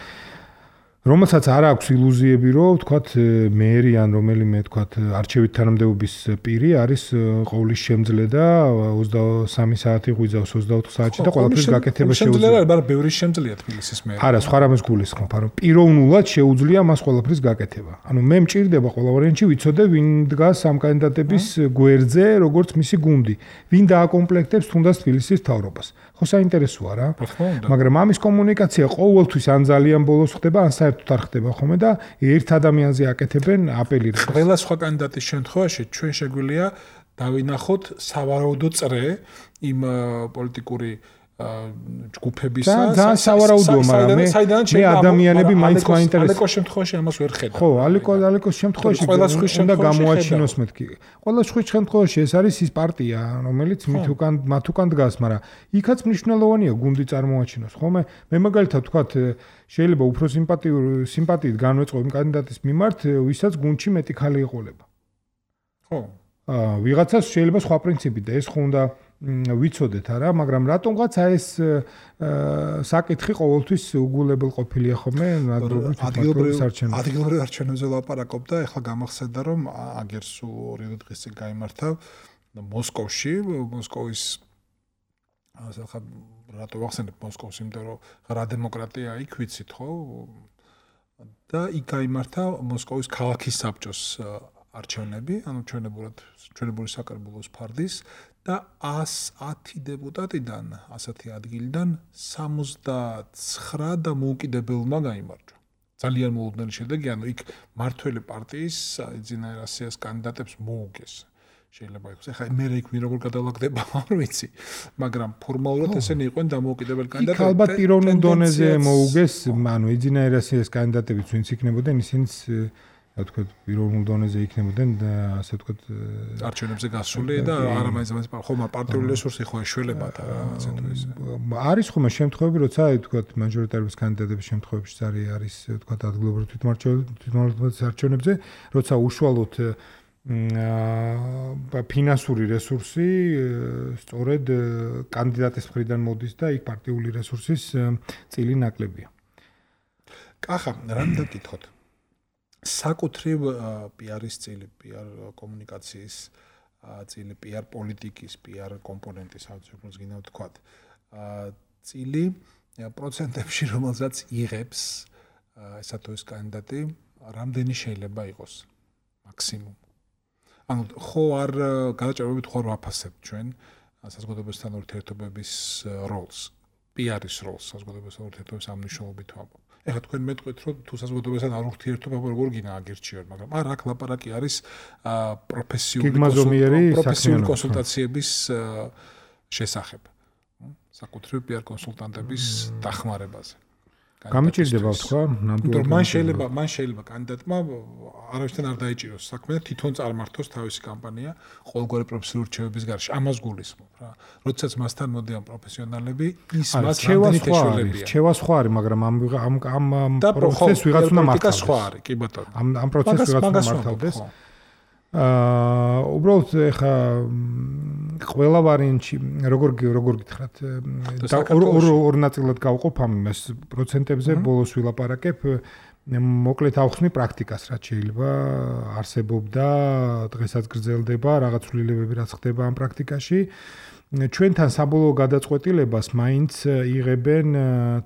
რომელსაც არ აქვს ილუზიები, რომ ვთქვათ, მერი ან რომელიმე ვთქვათ, არჩევით თანამდებობის პირი არის ყოვლის შემძლე და ოცდასამი საათი ღვიძავს ოცდაოთხ საათში და ყველაფერს გაკეთება შეუძლია. შემძლე არის, მაგრამ ბევრი შემძლეა თბილისის მერი. არა, სხვა რამეს გულისხმობ, რომ პიროვნულად შეუძლია მას ყველაფერს გაკეთება. ანუ მე მჭირდება ყველა ვარიანტში ვიცოდე, ვინ დგას ამ კანდიდატების გვერდზე, როგორც მისი გუნდი, ვინ დააკომპლექტებს თუნდაც თბილისის მთავრობას. ხო საინტერესოა რა. მაგრამ ამის კომუნიკაცია ყოველთვის ან ძალიან ბოლოს ხდება, ან საერთოდ არ ხდება ხოლმე და ერთ ადამიანზე აკეთებენ აპელირებს. ყველა სხვა კანდიდატის შემთხვევაში ჩვენ შეგვიძლია დავინახოთ სავარაუდო წრე იმ პოლიტიკური ჯგუფებისა. და სავარაუდოა, მაგრამ მე ადამიანები მაინც მაინტერესებს. ალეკოს შემთხვევაში ამას ვერ ხედავ. ხო, ალეკო ალეკოს შემთხვევაში უნდა გამოაჩინოს მეთქი. ყველა სხვა შემთხვევაში ეს არის ის პარტია, რომელიც მით უკან მათ უკან დგას, მაგრამ იქაც მნიშვნელოვანია გუნდი წარმოაჩინოს. ხოლმე მე მაგალითად ვთქვათ, შეიძლება უფრო სიმპათიური სიმპათიით განვეწყო იმ კანდიდატის მიმართ, ვისაც გუნდში მეტი ხალი ეყოლება. ხო. აა ვიღაცას შეიძლება სხვა პრინციპი და ეს ხო უნდა ვიცოდეთ არა, მაგრამ რატომღაც ეს საკითხი ყოველთვის უგულებელ ყოფილია ხოლმე ადგილობრივ ადგილობრივ არჩევნებზე ლაპარაკობ და ეხლა გამახსენდა რომ აგერ სულ ორი დღის წინ გაიმართა მოსკოვში, მოსკოვის ასე ხა რატო ვახსენებ მოსკოვს, იმიტომ რომ რა დემოკრატია იქ ვიცით ხო? და იქ გაიმართა მოსკოვის ქალაქის საბჭოს არჩევნები, ანუ ჩვენებურად ჩვენებური საკრებულოს ფარდის და ათი დეპუტატიდან, ასეთი ადგილიდან სამოცდაცხრა და მოუკიდებელმა გაიმარჯვა. ძალიან მოულოდნელი შედეგი, ანუ იქ მართველი პარტიის ძინაირასიას კანდიდატებს მოუგეს. შეიძლება იყოს. ეხლა მე იქ ვინ როგორ გადალაგდება არ ვიცი, მაგრამ ფორმალურად ესენი იყვნენ დამოუკიდებელი კანდიდატები. იქ ალბათ პიროვნულ დონეზე მოუგეს, ანუ ეძინაერას ეს კანდიდატებიც ვინც იქნებოდნენ, ისინიც რა თქვა პიროვნულ დონეზე იქნებოდნენ და ასე თქვა არჩევნებზე გასული და არა მაინც მაინც ხომ პარტიული რესურსი ხო ეშველებათ რა ასე თუ ისე. არის ხომ შემთხვევები, როცა თქვა მაჟორიტარების კანდიდატების შემთხვევებში არის თქვა ადგილობრივ თვითმმართველობის არჩევნებზე, როცა უშუალოდ ფინანსური რესურსი სწორედ კანდიდატის მხრიდან მოდის და იქ პარტიული რესურსის წილი ნაკლებია. კახა, რამ დაკითხოთ? საკუთრივ პიარის წილი, პიარ კომუნიკაციის წილი, პიარ პოლიტიკის, პიარ კომპონენტის, როგორც გინდა ვთქვათ. წილი პროცენტებში, რომელსაც იღებს ესა თუ ეს კანდიდატი, რამდენი შეიძლება იყოს მაქსიმუმ? ანუ ხო არ გადაჭრებით ხო არ ვაფასებთ ჩვენ საზოგადოებასთან ურთიერთობების როლს, პიარის როლს საზოგადოებასთან ურთიერთობების ამ მნიშვნელობით ვამბობ. ეხლა თქვენ მეტყვით, რომ თუ საზოგადოებასთან არ ურთიერთობა როგორ გინდა აგირჩიოთ, მაგრამ არ აქ ლაპარაკი არის პროფესიული პროფესიული კონსულტაციების შესახებ. საკუთრივ პიარ კონსულტანტების დახმარებაზე. გამიჭირდება თქვა, ნამდვილად. მან შეიძლება, მან შეიძლება კანდიდატმა არავისთან არ დაიჭიროს საქმე და თვითონ წარმართოს თავისი კამპანია ყოველგვარი პროფესიული რჩევების გარშე. ამას გულისხმობ რა. როდესაც მასთან მოდიან პროფესიონალები, ის მას რამდენი თეშოლებია. რჩევა სხვა არის, მაგრამ ამ ამ ამ პროცესს ვიღაც უნდა მართავდეს. სხვა არის, კი ბატონო. ამ ამ პროცესს ვიღაც უნდა მართავდეს. აა უბრალოდ ეხა ყველა ვარიანტში როგორ როგორ გითხრათ და ორ ორ ნაწილად გავყოფ ამას პროცენტებზე ბოლოს ვილაპარაკებ მოკლედ ავხსნი პრაქტიკას რაც შეიძლება არსებობდა დღესაც გრძელდება რაღაც ცვლილებები რაც ხდება ამ პრაქტიკაში ჩვენთან საბოლოო გადაწყვეტილებას მაინც იღებენ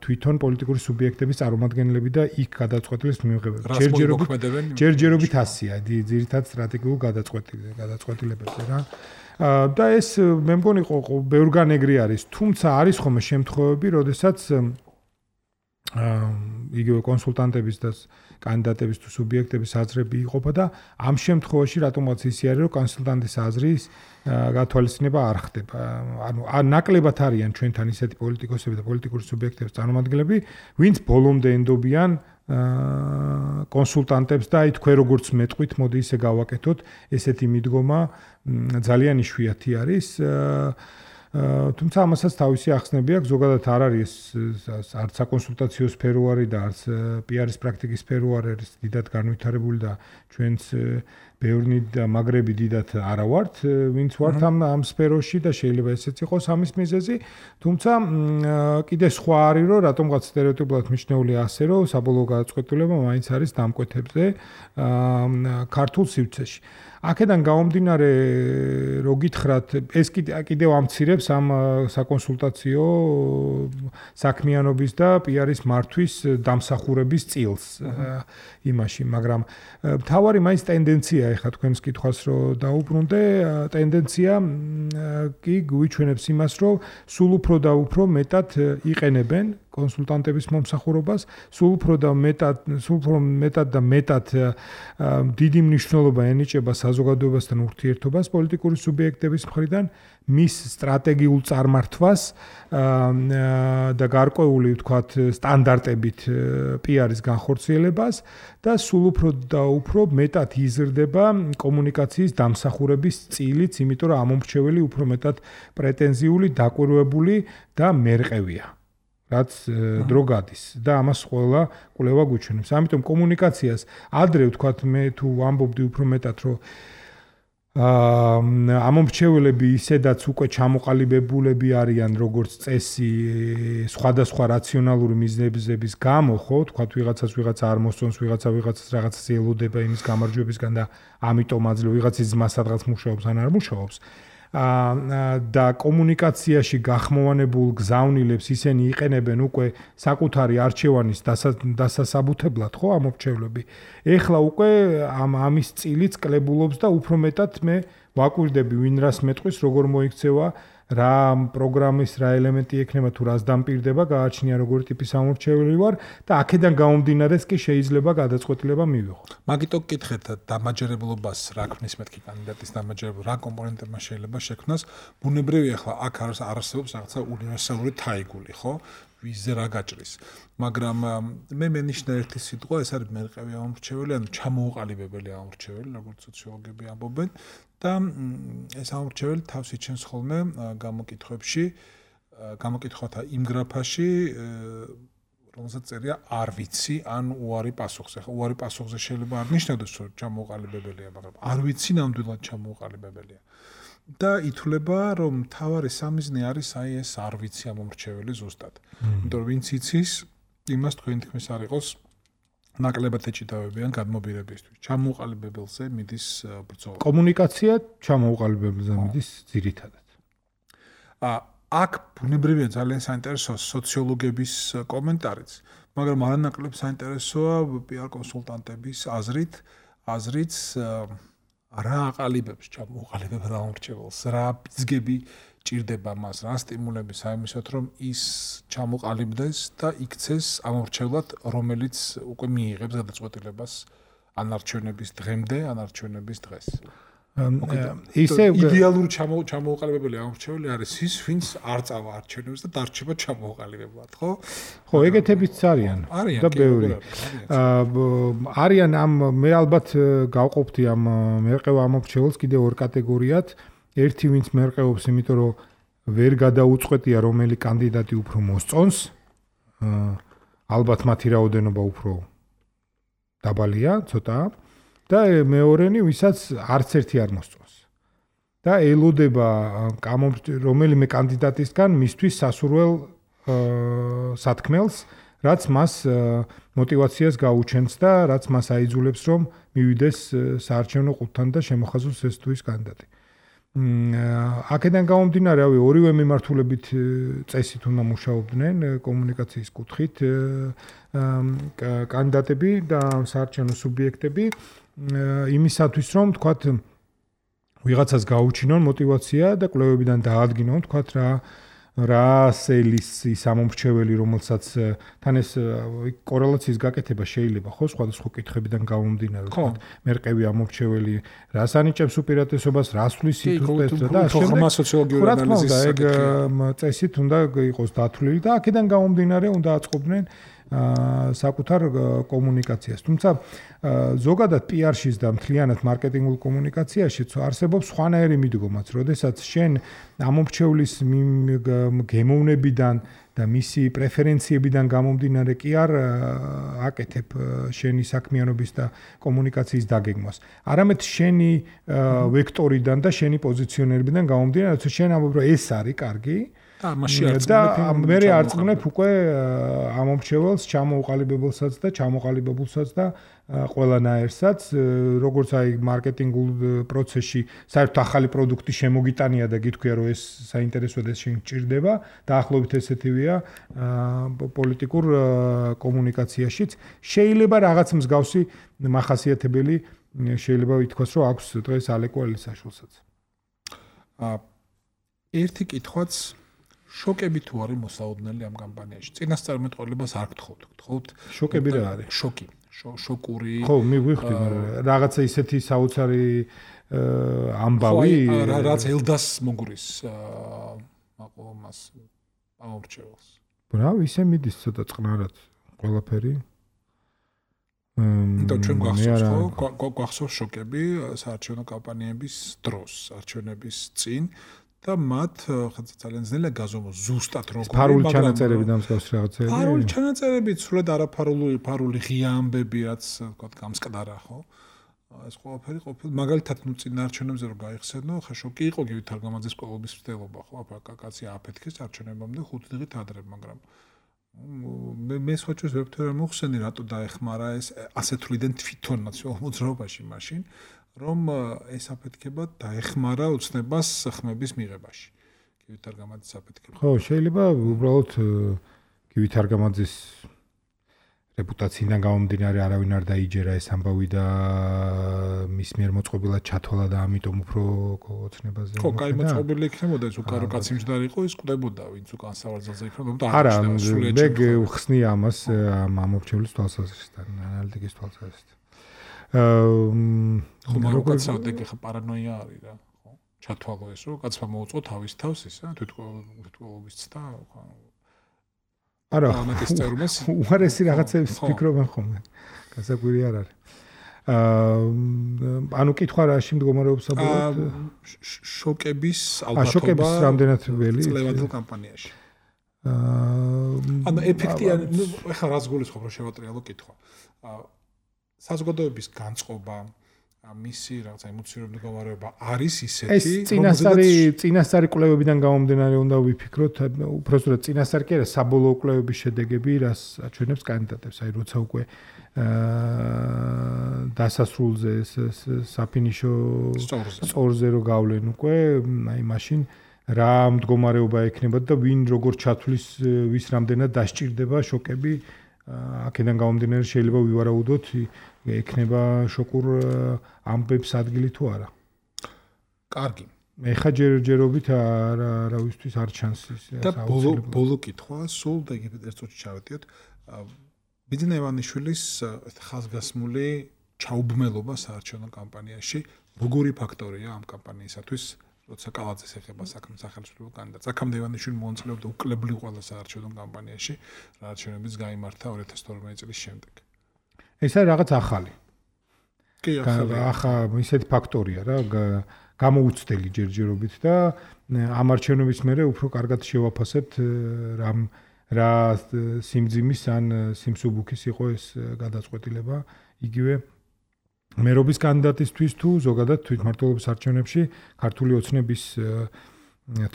თვითონ პოლიტიკური სუბიექტების წარმომადგენლები და იქ გადაწყვეტილებას მიიღებენ. ჯერჯერობით ასია, ძირითადად სტრატეგიულ გადაწყვეტილებებზე რა. და ეს მე მგონი ბევრგან ეგრე არის, თუმცა არის ხოლმე შემთხვევები, როდესაც იგივე კონსულტანტების და კანდიდატების თუ სუბიექტების აზრები იყოფა და ამ შემთხვევაში რატომაც ისე არის, რომ კონსულტანტის აზრის გათვალისწინება არ ხდება. ანუ ნაკლებად არიან ჩვენთან ისეთი პოლიტიკოსები და პოლიტიკური სუბიექტების წარმომადგენლები, ვინც ბოლომდე ენდობიან კონსულტანტებს და აი თქვენ როგორც მეტყვით, მოდი ისე გავაკეთოთ, ესეთი მიდგომა ძალიან იშვიათი არის. თუმცა ამასაც თავისი ახსნები აქვს, ზოგადად არ არის არც საკონსულტაციო სფერო არის და არც პიარის პრაქტიკის სფერო არის დიდად განვითარებული და ჩვენც ბევრი და მაგრები დიდად არა ვართ, ვინც ვართ ამ ამ სფეროში და შეიძლება ესეც იყოს ამის მიზეზი, თუმცა კიდე სხვა არის, რომ რატომღაც სტერეოტიპულად მიჩნეული ასე, რომ საბოლოო გადაწყვეტილება მაინც არის დამკვეთებზე ქართულ სივრცეში. აქედან გამომდინარე, რო გითხრათ, ეს კიდევ ამცირებს ამ საკონსულტაციო საქმიანობის და პიარის მართვის დამსახურების წილს იმაში, მაგრამ მთავარი მაინც ტენდენცია, ეხლა თქვენს კითხვას რო დაუბრუნდე, ტენდენცია კი გვიჩვენებს იმას, რომ სულ უფრო და უფრო მეტად იყენებენ კონსულტანტების მომსახურებას, სულ უფრო და მეტად, სულ უფრო მეტად და მეტად დიდი მნიშვნელობა ენიჭება საზოგადოებასთან ურთიერთობას პოლიტიკური სუბიექტების მხრიდან, მის სტრატეგიულ წარმართვას და გარკვეული, ვთქვათ, სტანდარტებით პიარის განხორციელებას და სულ უფრო და უფრო მეტად იზრდება კომუნიკაციის დამსახურების წილიც, იმიტომ რომ ამომრჩეველი უფრო მეტად პრეტენზიული, დაკვირვებული და მერყევია. რაც დრო გადის და ამას ყველა კვლევა გვიჩვენებს. ამიტომ კომუნიკაციას ადრე ვთქვათ მე თუ ვამბობდი უფრო მეტად რომ აა ამომრჩეველები ისედაც უკვე ჩამოყალიბებულები არიან როგორც წესი სხვადასხვა რაციონალური მიზნების გამო, ხო, ვთქვათ ვიღაცას ვიღაცა არ მოსწონს, ვიღაცა ვიღაცას რაღაცას ელოდება იმის გამარჯვებისგან და ამიტომ აძლევ ვიღაცის ძმა სადღაც მუშაობს ან არ მუშაობს. და კომუნიკაციაში გახმოვანებულ გზავნილებს ისინი იყენებენ უკვე საკუთარი არჩევანის დასასაბუთებლად, ხო, ამომრჩევლები. ეხლა უკვე ამ ამის წილიც კლებულობს და უფრო მეტად მე ვაკვირდები ვინ რას მეტყვის, როგორ მოიქცევა რა პროგრამის რა ელემენტი ექნება თუ რას დამპირდება, გააჩნია როგორი ტიპის ამორჩეველი ვარ და აქედან გამომდინარეც კი შეიძლება გადაწყვეტილება მივიღო. მაგიტო გკითხეთ დამაჯერებლობას რა ქმნის მეთქი კანდიდატის დამაჯერებლობა, რა კომპონენტებმა შეიძლება შექმნას. ბუნებრივია ახლა აქ არსებობს რაღაცა უნივერსალური თაიგული, ხო? ვიზზე რა გაჭრის. მაგრამ მე მენიშნა ერთი სიტყვა, ეს არის მერყევი ამორჩეველი, ანუ ჩამოუყალიბებელი ამორჩეველი, როგორც სოციოლოგები ამბობენ და ეს ამორჩეველი თავს იჩენს ხოლმე გამოკითხვებში, გამოკითხვათა იმ გრაფაში, რომელსაც წერია არ ვიცი ან უარი პასუხზე. ხო, უარი პასუხზე შეიძლება არ ნიშნავდეს, რომ ჩამოუყალიბებელია, მაგრამ არ ვიცი ნამდვილად ჩამოუყალიბებელია. და ითვლება, რომ მთავარი სამიზნე არის აი ეს არ ვიცი ამორჩეველი ზუსტად. იმიტომ რომ ვინც იცის, იმას თქვენი თქმის არ იყოს ნაკლებად ეჭიდავებიან გადმობირებისთვის. ჩამოუყალიბებელზე მიდის ბრძოლა. კომუნიკაცია ჩამოუყალიბებელზე მიდის ძირითადად. ა აქ ბუნებრივია ძალიან საინტერესოა სოციოლოგების კომენტარიც, მაგრამ არანაკლებ საინტერესოა პი არ კონსულტანტების აზრით, აზრიც რა აყალიბებს ჩამოუყალიბებელ ამორჩეველს, რა ბიძგები ჭირდება მას, რა სტიმულები საიმისოთ, რომ ის ჩამოყალიბდეს და იქცეს ამორჩევლად, რომელიც უკვე მიიღებს გადაწყვეტილებას ანარჩევნების დღემდე, ანარჩევნების დღეს. ისე იდეალური ჩამოუყალიბებელი ამორჩეველი არის ის, ვინც არ წავა არჩევნებს და დარჩება ჩამოუყალიბებლად, ხო? ხო, ეგეთებიც არიან და ბევრი. არიან ამ მე ალბათ გავყოფთი ამ მერყევ ამორჩეველს კიდევ ორ კატეგორიად. ერთი ვინც მერყეობს, იმიტომ რომ ვერ გადაუწყვეტია რომელი კანდიდატი უფრო მოსწონს. ალბათ მათი რაოდენობა უფრო დაბალია, ცოტა. და მეორენი, ვისაც არც ერთი არ მოსწონს. და ელოდება რომელიმე კანდიდატისგან მისთვის სასურველ სათქმელს, რაც მას мотивაციას გაუჩენს და რაც მას აიძულებს, რომ მივიდეს საარჩევნო ყუთთან და შემოხაზოს ეს თუ ის კანდიდატი. აქედან გამომდინარე, რავი, ორივე მიმართულებით წესით უნდა მუშაობდნენ კომუნიკაციის კუთხით კანდიდატები და საარჩევნო სუბიექტები. იმისათვის რომ თქვათ ვიღაცას გაუჩინონ мотивация და კვლევებიდან დაადგინონ თქვათ რა რა სელის ის ამორჩეველი რომელსაც თან ეს კორელაციის გაკეთება შეიძლება ხო სხვადასხვა კითხვებიდან გამომდინარე თქვათ მერყევი ამორჩეველი რას ანიჭებს უპირატესობას რას ვლის სიტუაციას და ახლა სოციოლოგიური ანალიზის ეგ წესით უნდა იყოს დათვლილი და აქედან გამომდინარე უნდა აწყობდნენ საკუთარ კომუნიკაციას. თუმცა ზოგადად პი არ-შიც და მთლიანად მარკეტინგულ კომუნიკაციაში არსებობს სხვანაირი მიდგომაც, როდესაც შენ ამორჩევლის გემოვნებიდან და მისი პრეფერენციებიდან გამომდინარე კი არ აკეთებ შენი საქმიანობის და კომუნიკაციის დაგეგმვას. არამედ შენი ვექტორიდან და შენი პოზიციონერებიდან გამომდინარე, რომ შენ ამბობ, რომ ეს არის კარგი და მასში და მე არწმუნებ უკვე ამორჩეველს, ჩამოუყალიბებელსაც და ჩამოყალიბებულსაც და ყველანაირსაც, როგორც აი მარკეტინგულ პროცესში საერთოდ ახალი პროდუქტი შემოგიტანია და გითქვია რომ ეს საინტერესოა და შენ გჭირდება, დაახლოებით ესეთივეა პოლიტიკურ კომუნიკაციაშიც. შეიძლება რაღაც მსგავსი მახასიათებელი შეიძლება ითქვას, რომ აქვს დღეს ალეკო ელისაშვილსაც. ერთი კითხვაც შოკები თუ არის მოსაოდნელი ამ კამპანიაში. წინასწარმეტყველებას არ გთხოვთ. გთხოვთ შოკები რა არის? შოკი. შოკური. ხო, მივხვდი, მაგრამ რაღაცა ისეთი საოცარი ამბავი, რაც ელდას მოგრის აყო მას ამორჩეველს. ბრავ, ისე მიდის ცოტა წყნარად ყველაფერი. და ჩვენ გვახსოვს, ხო, გვახსოვს შოკები საარჩევნო კამპანიების დროს, არჩევნების წინ. და მათ ხაცა ძალიან ძნელია გაზომოს ზუსტად როგორ ფარული ჩანაწერები და მსგავსი რაღაცები. ფარული ჩანაწერები, სულად არაფარული, ფარული ღია ამბები, რაც თქვა გამსკდარა, ხო? ეს ყველაფერი ყოფილი. მაგალითად, ნუ წინ არჩევნებზე რო გაიხსენო, ხა შოკი იყო გივით თარგამაძის კოლობის მცდელობა, ხო? აფა კაცი აფეთქეს არჩევნებამდე ხუთი დღით ადრე, მაგრამ მე მე სხვაჩვენს ვერ ვთქვი რა მოხსენი, რატო დაეხმარა ეს ასეთ თვლიდან თვითონ ნაციონალურ მოძრაობაში მაშინ. რომ ეს აფეთქება დაეხმარა ოცნებას ხმების მიღებაში. გივით თარგამაძის აფეთქება. ხო, შეიძლება უბრალოდ გივით თარგამაძის რეპუტაციიდან გამომდინარე არავინ არ დაიჯერა ეს ამბავი და მის მიერ მოწყობილად ჩათვალა და ამიტომ უფრო ოცნებაზე. ხო, კაი მოწყობილი იქნებოდა ეს უკარო კაცი მჯდარი იყო, ის კვდებოდა ვინც უკან სავარძელზე იქნებოდა. არა, მე გხსნი ამას ამ ამორჩევლის თვალსაზრისით, ანალიტიკის თვალსაზრისით. აა ხომ როგორცაა დეგ ხა პარანოია არის რა, ხო? ჩათვალო ეს რომ კაცმა მოუწყო თავის თავს ისა, თვითმკვლელობის ცდა, ხო? არა, უარესი რაღაცებს ფიქრობენ ხოლმე. გასაკვირი არ არის. აა ანუ კითხვა რაში მდგომარეობს საბოლოოდ? შოკების ალბათობა. შოკების რამდენად ველი? წლევადელ კამპანიაში. აა ანუ ეფექტია, ნუ ეხლა რაც გულისხმობ რომ შევატრიალო კითხვა. აა საზოგადოების განწყობა მისი რაღაცა ემოციური მდგომარეობა არის ისეთი, ეს წინასწარი წინასწარი კვლევებიდან გამომდინარე უნდა ვიფიქროთ, უბრალოდ წინასწარი კი არა, საბოლოო კვლევების შედეგები, რას აჩვენებს კანდიდატებს, აი როცა უკვე აა დასასრულზე საფინიშო სწორზე რო გავლენ უკვე, აი მაშინ რა მდგომარეობა ექნებათ და ვინ როგორ ჩათვლის, ვის რამდენად დასჭირდება შოკები, აქედან გამომდინარე შეიძლება ვივარაუდოთ ექნება შოკურ ამბებს ადგილი თუ არა. კარგი. მე ხა ჯერჯერობით არა არავისთვის არ ჩანს ის. და ბოლო ბოლო კითხვა, სულ და იგივე ერთ წუთში ჩავეტიოთ. ბიძინა ივანიშვილის ხაზგასმული ჩაუბმელობა საარჩევნო კამპანიაში, როგორი ფაქტორია ამ კამპანიისათვის, როცა კალაძეს ეხება საქმე სახელმწიფო კანდიდატს. აქამდე ივანიშვილი მონაწილეობდა უკლებლივ ყველა საარჩევნო კამპანიაში, არჩევნებიც გაიმართა ორი ათას თორმეტი წლის შემდეგ. ეს არის რაღაც ახალი. კი, ახალი. ახლა ისეთი ფაქტორია რა, გამოუცდელი ჯერჯერობით და ამ არჩევნების მერე უფრო კარგად შევაფასებთ რა რა სიმძიმის ან სიმსუბუქის იყო ეს გადაწყვეტილება. იგივე მერობის კანდიდატისთვის თუ ზოგადად თვითმმართველობის არჩევნებში ქართული ოცნების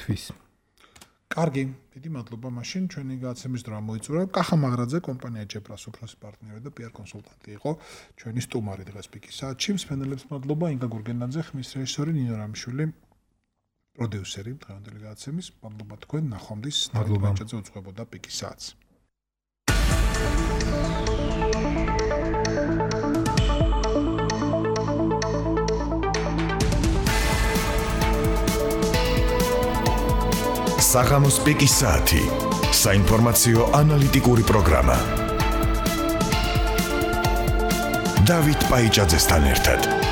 თვის. კარგი, დიდი მადლობა მაშინ ჩვენი გადაცემის დრო მოიწურა. კახა მაგრაძე, კომპანია ჯეპრას უფროსი პარტნიორი და პიარ კონსულტანტი იყო ჩვენი სტუმარი დღეს პიკის საათში. მსმენელებს მადლობა, ინგა გურგენაძე, ხმის რეჟისორი ნინო რამიშვილი, პროდიუსერი დღევანდელი გადაცემის. მადლობა თქვენ, ნახვამდის. მადლობა. დაჭეზე უძღვებოდა პიკის საათს. საღამოს პიკის საათი. საინფორმაციო ანალიტიკური პროგრამა. დავით პაიჭაძესთან ერთად.